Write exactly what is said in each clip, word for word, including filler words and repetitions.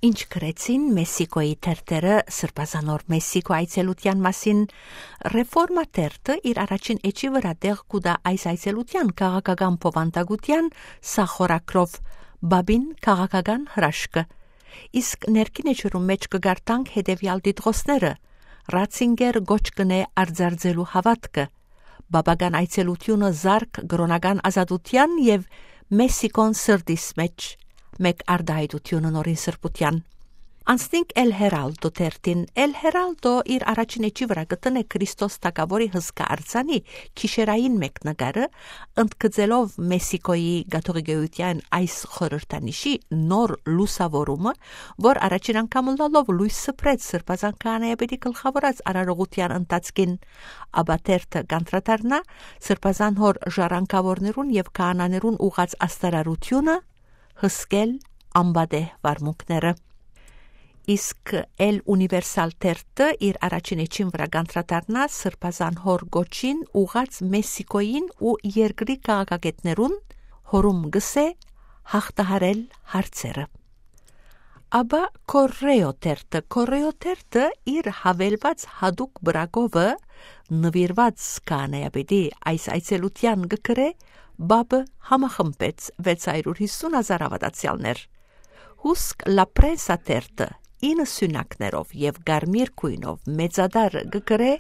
Ինչ գրեցին Մեսիկոյի թերթերը սրբազանոր Մեսիկո այցելության մասին, ռեֆորմա թերթը իր առաջին էջի վրա տեղ կուտա այս այցելության քաղաքական փոխանցագության սախորակրով բաբին քաղաքական հրաշքը, իսկ ներքին էջերում մեջ կգարտանք հետևյալ դիտողները. Ռացինգեր գոչ կնե արձարձելու հավատքը, բաբական այցելությունը զարկ գրոնական ազատության եւ Մեսիկոն սրդիս մեջ մեկ արդահայտությունը նորին սրբության։ Անցնենք Էլ Հերալդո թերթին։ Էլ Հերալդո իր առաջին էջի վրա գտնե Քրիստոս Թագավորի հսկա արձանի քիշերային մեկնագարը, ընդգծելով Մեսիկոյի գաթողիկայության այս խորհրդանիշի նոր լուսավորումը, որ առաջին անգամ լալով լույս սփռեց սրբազան քահանայապետի գլխավորած արարողության ընթացքին, ապա թերթը կանտրատարնա սրբազան հոր ժառանգավորներուն եւ քահանաներուն ուղած աստարարությունը հսկել ամբադե վարմունքները։ Իսկ Էլ Ունիվերսալ թերթը իր առաջին էջին վրա կանտրատարնա սրբազան հոր գոչին ուղած Մեսիկոյին ու երկրի քաղաքագետներուն հորում գսե հաղթահարել հարցերը։ Աբա Կորրեո թերթը Կորրեո թերթը իր հավելված հadouk բրագովը նվիրված քահանայապետի այս այցելության գկրե բաբը համախմբեց վեց հարյուր հիսուն հազար հավատացյալներ։ Հուսկ Լա Պրենսա թերթը ինը սյունակներով եւ գարմիր քույնով մեծադար գկրե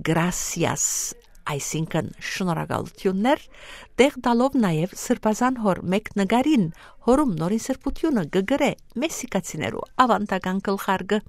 գրասիաս, այսինքն շնորհակալություններ, տեղ տալով նաեւ սրբազան հոր մեկ նգարին հորում նորին սրբությունը գգրե մեսիկացիներու ավանդական գլխարկը։